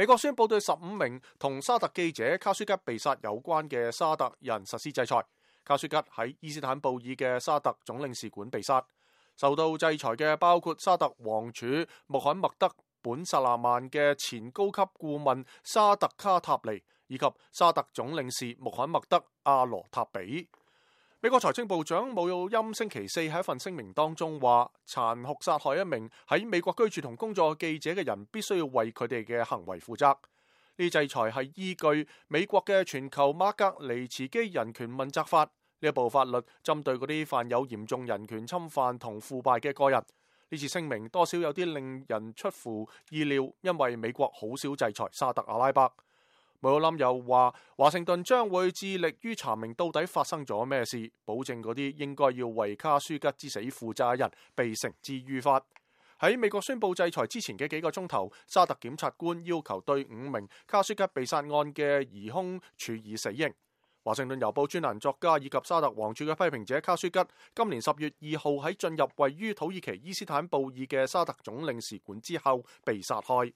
美國宣布對15名同沙特記者卡舒吉被殺有關嘅沙特人實施制裁。卡舒吉喺伊斯坦布爾嘅沙特總領事館被殺。受到制裁嘅包括沙特王儲穆罕默德本薩勒曼嘅前高級顧問沙特卡塔尼，以及沙特總領事穆罕默德阿羅塔比。美國財政部長姆欽星期四喺一份聲明當中話，殘酷殺害一名喺美國居住同工作記者嘅人，必須要為佢哋嘅行為負責。呢制裁係依據美國嘅全球馬格尼茨基人權問責法。呢一部法律針對嗰啲犯有嚴重人權侵犯同腐敗嘅個人。呢次聲明多少有啲令人出乎意料，因為美國好少制裁沙特阿拉伯。姆欽又話，華盛頓將會致力於查明到底發生咗咩事，保證嗰啲應該要為卡舒吉之死負責嘅人被繩之於法。喺美國宣布制裁之前嘅幾個鐘頭，沙特檢察官要求對5名卡舒吉被殺案嘅疑兇處以死刑。華盛頓郵報專欄作家以及沙特王儲嘅批評者卡舒吉，今年10月2號喺進入位於土耳其伊斯坦布爾嘅沙特總領事館之後被殺害。